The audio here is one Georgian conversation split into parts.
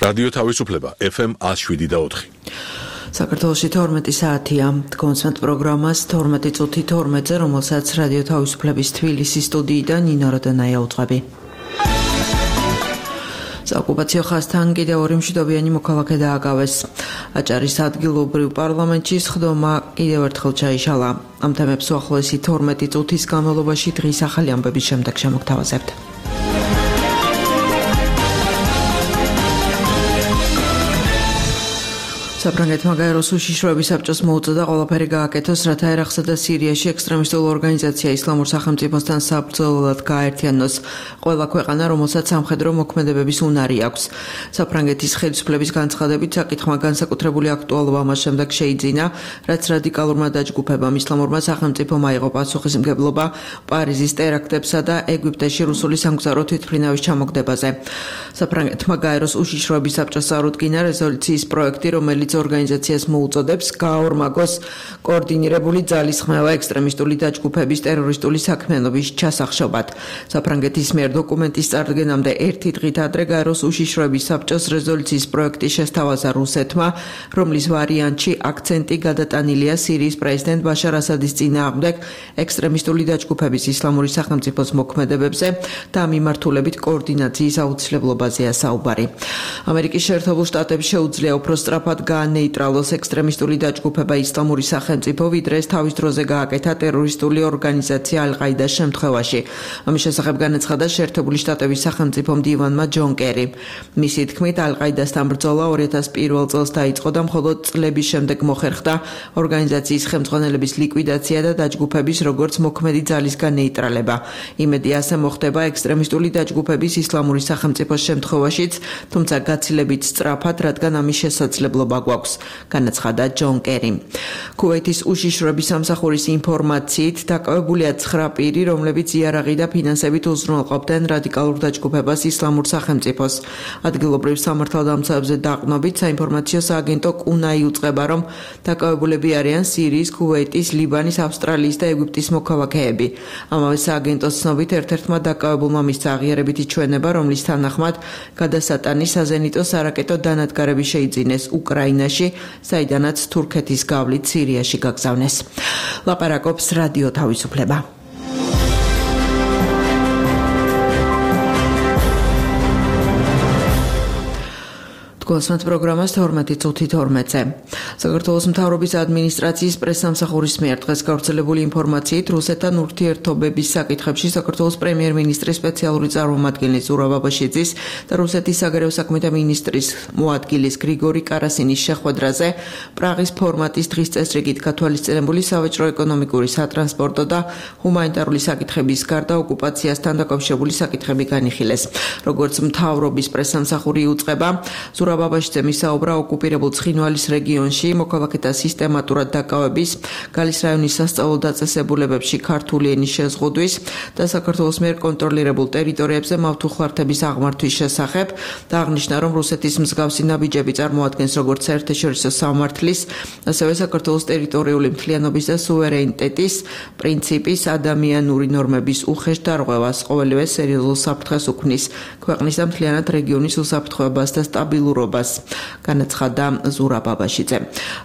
რადიო თავისუფლება FM 107.4. საქართველოში 12 საათია. კონცერტ პროგრამას 12 წუთი 12-ზე, რომელსაც რადიო თავისუფლების თბილისის სტუდიიდან ნინო როდონაია უძღვები. საოკუპაციო ხაზთან კიდევ ორი მშვიდობიანი მოქალაქე დააკავეს. აჭარის ადგილობრივ პარლამენტში სხდომა კიდევ ერთხელ ჩაიშალა. ამ თემებს უახლოესი 12 წუთის განმავლობაში დღის ახალი ამბების შემდეგ შემოგთავაზებთ. საფრანგეთმა გაეროს უშიშროების საბჭოს მოუწოდა ყველაფერი გააკეთოს, რათა ერაყსა და სირიაში ექსტრემისტულ ორგანიზაცია ისლამურ სახელმწიფოსთან საბრძოლველად გააერთიანოს ყველა ქვეყანა, რომელსაც სამხედრო მოქმედებების უნარი აქვს. საფრანგეთის ხელისუფლების განცხადებით საკითხმა განსაკუთრებული აქტუალობა მას შემდეგ შეიძინა, რაც რადიკალურმა დაჯგუფებამ ისლამურმა სახელმწიფომ აიღო პასუხისმგებლობა პარიზის ტერაქტებსა და ეგვიპტეში რუსული სამგზავრო თვითმფრინავის ჩამოგდებაზე. საფრანგეთმა გაეროს უშიშროების საბჭოს წარუდგინა რეზოლუციის პროექტი, რომელიც ორგანიზაციას მოუწოდებს გააორმაგოს კოორდინირებული ძალისხმევა ექსტრემისტული დაჯგუფების ტერორისტული საქმიანობის ჩასახშობად. საფრანგეთის მიერ დოკუმენტის წარდგენამდე ერთი დღით ადრე გაეროს უშიშროების საბჭოს რეზოლუციის პროექტი შესთავაზა რუსეთმა, რომლის ვარიანტში აქცენტი გადატანილია სირიის პრეზიდენტ ბაშარ ასადის წინააღმდეგ ექსტრემისტული დაჯგუფების ისლამური სახელმწიფოს მოქმედებებზე და მიმართულებით კოორდინაციის აუცილებლობაზეა საუბარი. ამერიკის შეერთებულ შტატებს შეუძლია უფრო სწრაფად ნეიტრალოს ექსტრემისტული დაჯგუფება ისლამური სახელმწიფო, ვიდრე ეს თავის დროზე გააკეთა ტერორისტული ორგანიზაცია ალ-ყაიდას შემთხვევაში. ამის შესახებ განაცხადა შეერთებული შტატების სახელმწიფო მდივანმა ჯონ კერი. მისი თქმით, ალ-ყაიდასთან ბრძოლა 2001 წელს დაიწყო და მხოლოდ წლების შემდეგ მოხერხდა ორგანიზაციის ხელმძღვანელების ლიკვიდაცია და დაჯგუფების როგორც მოქმედი ძალისგან ნეიტრალება. იმედი ასე მოხდება ექსტრემისტული დაჯგუფების ისლამური სახელმწიფოს შემთხვევაშიც, თუმცა გაცილებით სწრაფად, რადგან ამის შესაძლებლობა გვაქვს, განაცხადა ჯონ კერი. ქუვეითის უშიშროების სამსახურის ინფორმაციით დაკავებულია 9 პირი, რომლებიც იარაღი და ფინანსებით უზრუნველყოფდნენ რადიკალურ დაჯგუფებას ისლამურ სახელმწიფოს. ადგილობრივ სამართალდამცავებზე დაყრდნობით საინფორმაციო სააგენტო კუნა იუწყება, რომ დაკავებულები არიან სირიის, ქუვეითის, ლიბანის, ავსტრალიის და ეგვიპტის მოქალაქეები. ამავე სააგენტოს ცნობით ერთ-ერთმა დაკავებულმა მისცა აღიარებითი ჩვენება, რომლის თანახმად გადასატანი საზენიტო სარაკეტო დანადგარები შეიძინეს უკრაინაში, საიდანაც თურქეთის გავლით სირიაში გაგზავნეს. ლაპარაკობს რადიო თავისუფლება. კონცერტ პროგრამას 12 წუთი 12-ზე. საქართველოს მთავრობის ადმინისტრაციის პრესსამსახურის მიერ დღეს გავრცელებული ინფორმაციით რუსეთთან ურთიერთობების საკითხებში საქართველოს პრემიერ-მინისტრის სპეციალური წარმომადგენლის ზურაბ აბაშიძის და რუსეთის საგარეო საქმეთა მინისტრის მოადგილის გრიგორი კარასინის შეხვედრაზე პრაღის ფორმატის დღის წესრიგით გათვალისწინებული სავაჭრო-ეკონომიკური, სატრანსპორტო და ჰუმანიტარული საკითხების გარდა ოკუპაციასთან დაკავშირებული საკითხები განიხილეს. როგორც მთავრობის პრესსამსახური იუწყება, ზურაბ აბაშიძე მისაუბრა ოკუპირებულ ცხინვალის რეგიონში მოქალაქეთა სისტემატურად დაკავების, გალის რაიონის სასწავლო დაწესებულებებში ქართული ენის შეზღუდვის და საქართველოს მიერ კონტროლირებულ ტერიტორიებზე მავთუხლართების აღმართვის შესახებ და აღნიშნა, რომ რუსეთის მსგავსი ნაბიჯები წარმოადგენს როგორც საერთაშორისო სამართლის, ასევე საქართველოს ტერიტორიული მთლიანობის და სუვერენიტეტის პრინციპის, ადამიანური ნორმების უხეშ დარღვევას, ყოველივე სერიოზულ საფრთხეს უქმნის ქვეყნის და მთლიანად რეგიონის უსაფრთხოებას და სტაბილურობას, განაცხადა ზურაბ აბაშიძე.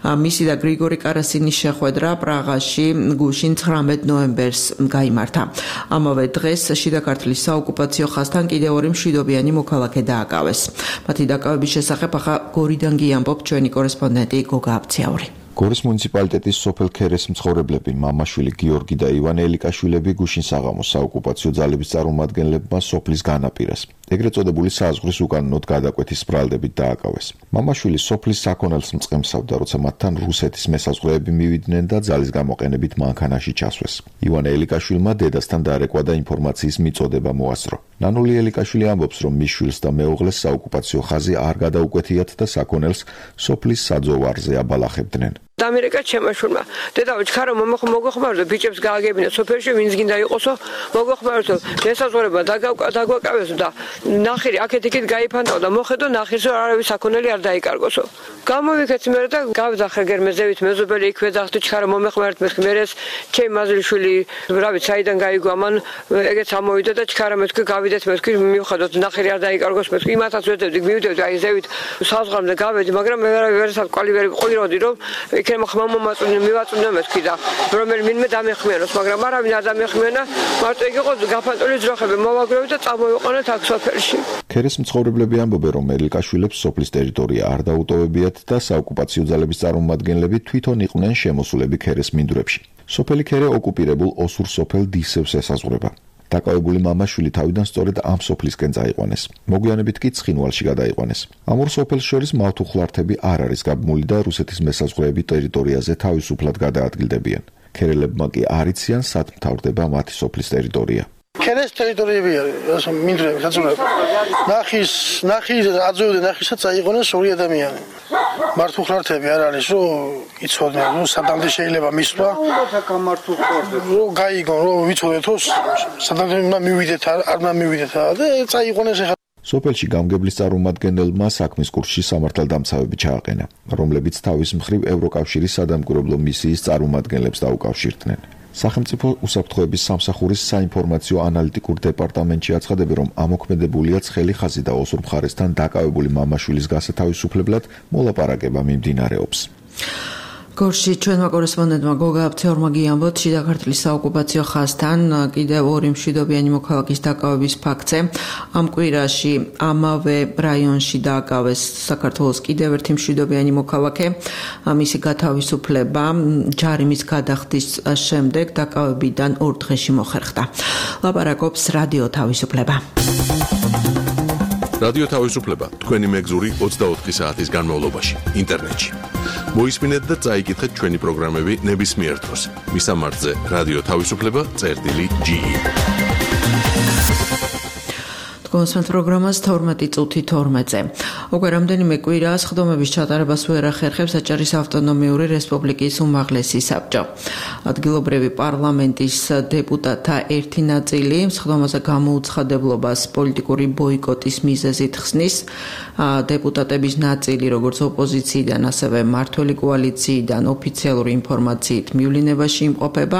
მისი და გრიგორი კარასინის შეხვედრა პრაღაში გუშინ 19 ნოემბერს გაიმართა. ამავე დღეს შიდა ქართლის საოკუპაციო ხაზთან კიდევ ორი მშვიდობიანი მოქალაქე დააკავეს. მათი დაკავების შესახებ ახლა გორიდან გიამბობ ჩვენი კორესპონდენტი გოგა აბციაური. გორის მუნიციპალიტეტის სოფელ ქერეს მცხოვრებლები მამაშვილი გიორგი და ივანე ელიკაშვილები გუშინ საღამოს საოკუპაციო ძალების წარმომადგენლებმა სოფლის განაპირას, ეგრეთ წოდებული საზღვრის უკანონოდ გადაკვეთის ბრალდებით დააკავეს. მამაშვილი სოფლის საქონელს მწყემსავდა, როცა მათთან რუსეთის მესაზღვრეები მივიდნენ და ძალის გამოყენებით მანქანაში ჩასვეს. ივანე ელიკაშვილმა დედასთან დარეკვა და ინფორმაციის მიწოდება მოასწრო. ნანული ელიკაშვილი ამბობს, რომ მის შვილს და მეუღლეს საოკუპაციო ხაზი არ გადაუკვეთიათ და საქონელს სოფლის საძოვარზე აბალახებდნენ. დამერეკა ჩემაშურმა. დედაო, ჩქარო მოგეხმაროთ, ბიჭებს გააგებინა სოფელში, ვინც გინდა იყოსო, მოგეხმაროთ, შესაძლებლობა დაგვაკავესო და ნახირი აქეთ-იქით გაიფანტაო და მოხედო ნახირს რომ არავის საქონელი არ დაიკარგოსო. გამოვიქეთ მე და გავძახე გერმეზევით მეზობელი იქვე დახტი ჩქარო მომეხმარეთ მერეს ჩემი მაზლიშვილი რავით საიდან გაიგო ამან ეგეც ამოვიდა და ჩქარა მეთქვი გავიდეთ მეთქვი მივხვდოთ ნახირი არ დაიკარგოს მეთქვი იმათაც ვედებდი მივიდევდი აი ზევით საზღვრამდე გავედი მაგრამ მე ვერასად ყვალი ვერ ყვიროდი რომ იქნებ ხმამომაწუნე მივაწუნე მეთქვი და რომელი მინმე დამეხმიანოს მაგრამ არავინ არ დამეხმიანა მარტო იგი იყო გაფანტული ძროხები მოვაგროვე და წამოვიყვანეთ აქ სოფელში. ქერეს მცხოვრებლები ამბობენ რომ ელიკაშვილებს სოფლის ტერიტორია არ დაუტოვებიათ და საოკუპაციო ძალების წარმომადგენლები თვითონ იყვნენ შემოსულები ქერეს მინდვრებში. სოფელი ქერე ოკუპირებულ ოსურ სოფელ დისევს ესაზღვრება. დაკავებული მამაშვილი თავიდან სწორედ ამ სოფლისკენ წაიყვანეს. მოგვიანებით კი ცხინვალში გადაიყვანეს. ამ ორ სოფელს შორის მავთუხლართები არ არის გაბმული და რუსეთის მესაზღვრეები ტერიტორიაზე თავისუფლად გადაადგილდებიან. ქერელებმა კი არ იციან სად მთავრდება მათი სოფლის ტერიტორია. ქერეს ტერიტორიები არის, მინდვრები, საწუნები. ნახის აძოვდა ნახისაც აიღონეს ორი ადამიანი. მართუხლართები არ არის, რომ იცოდნენ, რომ სადამდე შეიძლება მისვლა. რომ გაიგონ, რომ ვიცოდეთ, რომ სადამდე მივიდეთ, არ მივიდეთ და წაიღონეს ახლა. სოფელში გამგებლის წარმომადგენელმა საქმის კურსში სამართალდამცავები ჩააყენა, რომლებიც თავის მხრივ ევროკავშირის სადამკვირვებლო მისიის წარმომადგენლებს დაუკავშირდნენ. სახელმწიფო უსაფრთხოების სამსახურის საინფორმაციო ანალიტიკურ დეპარტამენტში აცხადებს, რომ ამოქმედებულია ცხელი ხაზი და ოსურ მხარესთან დაკავებული მამაშვილის გასათავისუფლებლად მოლაპარაკება მიმდინარეობს. გორში ჩვენმა კორესპონდენტმა გოგა აფცეორმა გიამბოთ, შიდა ქართლის საოკუპაციო ხაზთან კიდევ ორი მშვიდობიანი მოქალაქის დაკავების ფაქტზე. ამ კვირაში ამავე რაიონში დააკავეს საქართველოს კიდევ ერთი მშვიდობიანი მოქალაქე. მისი გათავისუფლება ჯარიმის გადახდის შემდეგ დაკავებიდან 2 დღეში მოხერხდა. ლაპარაკობს რადიო თავისუფლება. რადიო თავისუფლება თქვენი მეგზური 24 საათის განმავლობაში ინტერნეტში. მოისმინეთ და წაიკითხეთ ჩვენი პროგრამები ნებისმიერ დროს. მისამართზე რადიო თავისუფლება.ge. კონსულტ პროგრამას 12 წუთი 12-ზე. უკვე რამდენიმე კვირაა სხდომების ჩატარებას ვერ ახერხებს აჭარის ავტონომიური რესპუბლიკის უმაღლესი საბჭო. ადგილობრივი პარლამენტის დეპუტატთა ერთი ნაწილი სხდომაზე გამოუცხადებლობას პოლიტიკური ბოიკოტის მიზეზით ხსნის. დეპუტატების ნაწილი როგორც ოპოზიციიდან, ასევე მმართველი კოალიციიდან ოფიციალური ინფორმაციით მივლინებაში იმყოფება.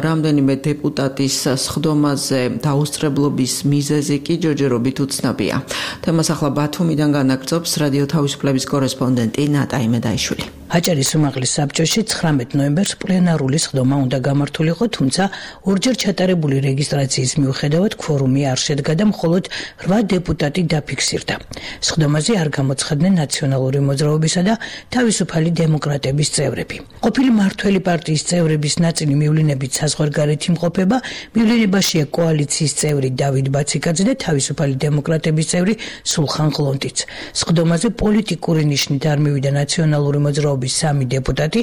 რამდენიმე დეპუტატის სხდომაზე დაუსწრებლობის მიზეზი კი ჯოჯერობით უცნობია. თემას ახლა ბათუმიდან განაგრძობს რადიო თავისუფლების კორესპონდენტი ნატა იმედაიშვილი. აჭარის უმაღლეს საბჭოში 19 ნოემბერს პლენარული სხდომა უნდა გამართულიყო, თუმცა ორჯერ ჩატარებული რეგისტრაციის მიუხედავად ქვორუმი არ შედგა და მხოლოდ 8 დეპუტატი დაფიქსირდა. სხდომაზე არ გამოცხადდნენ ნაციონალური მოძრაობისა და თავისუფალი დემოკრატების წევრები. ყოფილი მმართველი პარტიის წევრების ნაწილი მივლინებით საზღვარგარეთ იმყოფება, მივლინებაშია კოალიციის წევრი დავით ბაციკაძე და თავისუფალი დემოკრატების წევრი სულხან ყლონტიც. სხდომაზე პოლიტიკური ნიშნით არ მივიდა ნაციონალური მოძრაობის 3 დეპუტატი,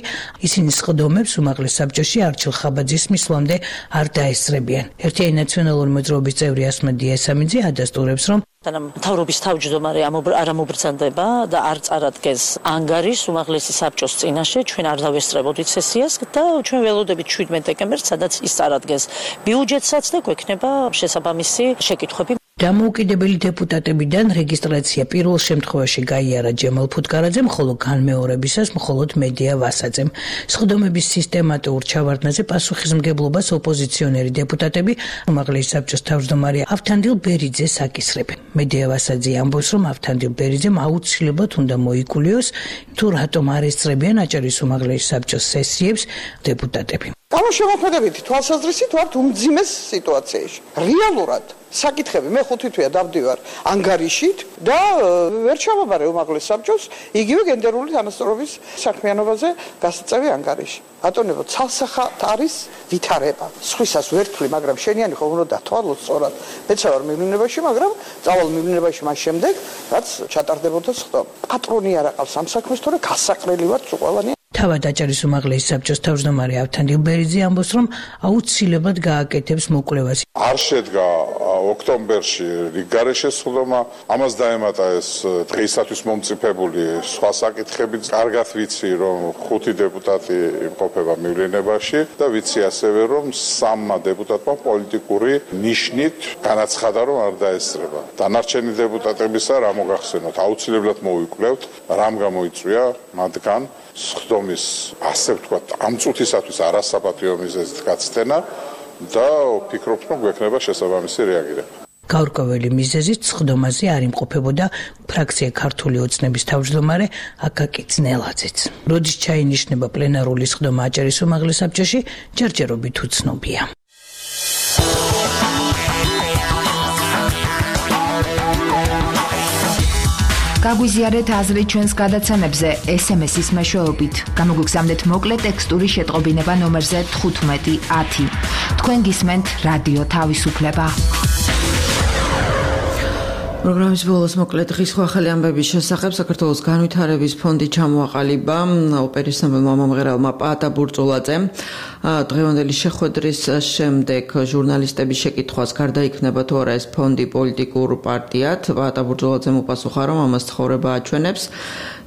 ისინი სხდომებს უმაღლეს საბჭოში არჩილ ხაბაძის მისვლამდე არ დაესწრებიან. ერთიანი ნაციონალური მოძრაობის წევრი ასმადია ესამიძე ადასტურებს, რომ მთავრობის თავმჯდომარე არ ამობრძანდება და არ წარადგენს ანგარიშს უმაღლესი საბჭოს წინაშე, ჩვენ არ დავესწრებოდით სესიას და ჩვენ ველოდებით 17 დეკემბერს, სადაც ის წარადგენს ბიუჯეტსაც და გვექნება შესაბამისი შეკითხვები. დამოუკიდებელი დეპუტატებიდან რეგისტრაცია პირველ შემთხვევაში გაიარა ჯემალ ფუტკარაძემ, ხოლო განმეორებისას მხოლოდ მედია ვასაძემ. სხდომების სისტემატურ ჩავარდნაზე პასუხისმგებლობას ოპოზიციონერი დეპუტატები უმაღლესი საბჭოს თავმჯდომარე ავთანდილ ბერიძეს აკისრებენ. მედია ვასაძე ამბობს, რომ ავთანდილ ბერიძემ აუცილებლად უნდა მოიკულიოს, თუ რატომ არ ესწრებიან აჭარის უმაღლესი საბჭოს სესიებს დეპუტატები. გამოსამოქმედებითი თვალსაზრისით ვართ უმძიმეს სიტუაციაში. რეალურად საკითხები მე 5 თვეა დავდივარ ანგარიშით და ვერ ჩავაბარე უმაღლეს საბჭოს იგივე გენდერული თანასწორობის საქმიანობაზე გასაწევი ანგარიში. ბატონებო, ცალსახად არის ვითარება. სხვისას ვერთვლი, მაგრამ შენიანი ხომ უნდა დათვალოს სწორად. მეც ვარ მივლინებაში, მაგრამ წავალ მივლინებაში მას შემდეგ, რაც ჩატარდებოდა სხდომა. პატრონი არ აყავს ამ საქმეს, თორე გასაყრელი ვარ ყველანი. თავად აჭარის უმაღლესი საბჭოს თავმჯდომარე ავთანდი უბერიძე ამბობს, რომ აუცილებლად გააკეთებს მოკვლევას. არ შედგა ოქტომბერში რიგგარეშე სხდომა, ამას დაემატა ეს დღეისათვის მომწიფებული სხვა საკითხები. კარგად ვიცი, რომ 5 დეპუტატი იმყოფება მივლინებაში და ვიცი ასევე, რომ 3 დეპუტატმა პოლიტიკური ნიშნით განაცხადა, რომ არ დაესწრება. დანარჩენი დეპუტატებისა რა მოგახსენოთ, აუცილებლად მოვიკვლევთ, რამ გამოიწვია მათგან სხდომის, ასე ვთქვათ, ამ წუთისათვის არასაპატიო მიზეზით გაცდენა და ვფიქრობ, რომ გვექნება შესაბამისი რეაგირება. გაურკვეველი მიზეზით სხდომაზე არ იმყოფებოდა ფრაქცია ქართული ოცნების თავმჯდომარე აკაკი ძნელაძეც. როდის ჩაინიშნება პლენარული სხდომა აჭარის უმაღლეს საბჭოში, ჯერჯერობით უცნობია. გაგვიზიარეთ აზრი ჩვენს გადაცემებზე SMS-ის მეშვეობით. გამოგვიგზავნეთ მოკლე ტექსტური შეტყობინება ნომერზე 1510. თქვენ გისმენთ რადიო თავისუფლება. პროგრამის ბოლოს მოკლედ დღის ახალი ამბების შესახებ საქართველოს განვითარების ფონდი ჩამოაყალიბა ოპერის ნომერმა მომღერალმა პაატა ბურწულაძემ. დღევანდელი შეხვედრის შემდეგ ჟურნალისტების შეკითხვას გარდაიქმნება თუ არა ეს ფონდი პოლიტიკურ პარტიად. პაატა ბურწულაძემ უპასუხა, რომ ამას ცხოვრება აჩვენებს,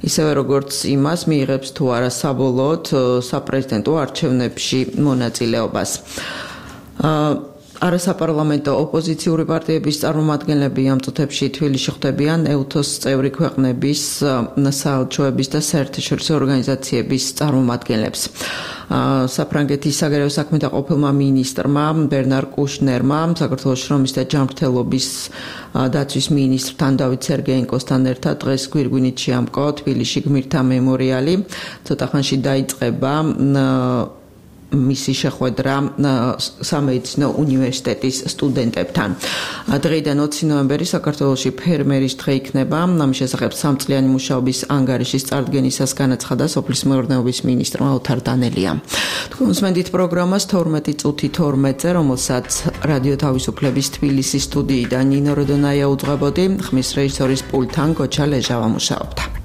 ისევე როგორც იმას მიიღებს თუ არა საბოლოოდ საპრეზიდენტო არჩევნებში მონაწილეობას. არასაპარლამენტო ოპოზიციური პარტიების წარმომადგენლები ამ წუთებში თბილისში ხვდებიან ეუთოს წევრი ქვეყნების საელჩოების და საერთაშორისო ორგანიზაციების წარმომადგენლებს. საფრანგეთის საგარეო საქმეთა ყოფილმა მინისტრმა ბერნარ კუშნერმა საქართველოს შრომის და ჯანმრთელობის დაცვის მინისტრთან დავით სერგეენკოსთან ერთად დღეს გვირგვინით შეამკო თბილისში გმირთა მემორიალი. ცოტა ხანში დაიწყება მისი შეხვედრა სამედიცინო უნივერსიტეტის სტუდენტებთან. დღეიდან 20 ნოემბერი საქართველოში ფერმერის დღე იქნება. ამის შესახებ 3 წლიანი მუშაობის ანგარიშის წარდგენისას განაცხადა სოფლის მეურნეობის მინისტრმა ოთარ დანელიამ. თქვენ უსმენთ პროგრამას 12 წუთი 12-ზე, რომელსაც რადიო თავისუფლების თბილისის სტუდიიდან ნინო როდონაია უძღვებოდი, ხმის რეჟისორის პულტთან გოჩა ლეჟავა მუშაობდა.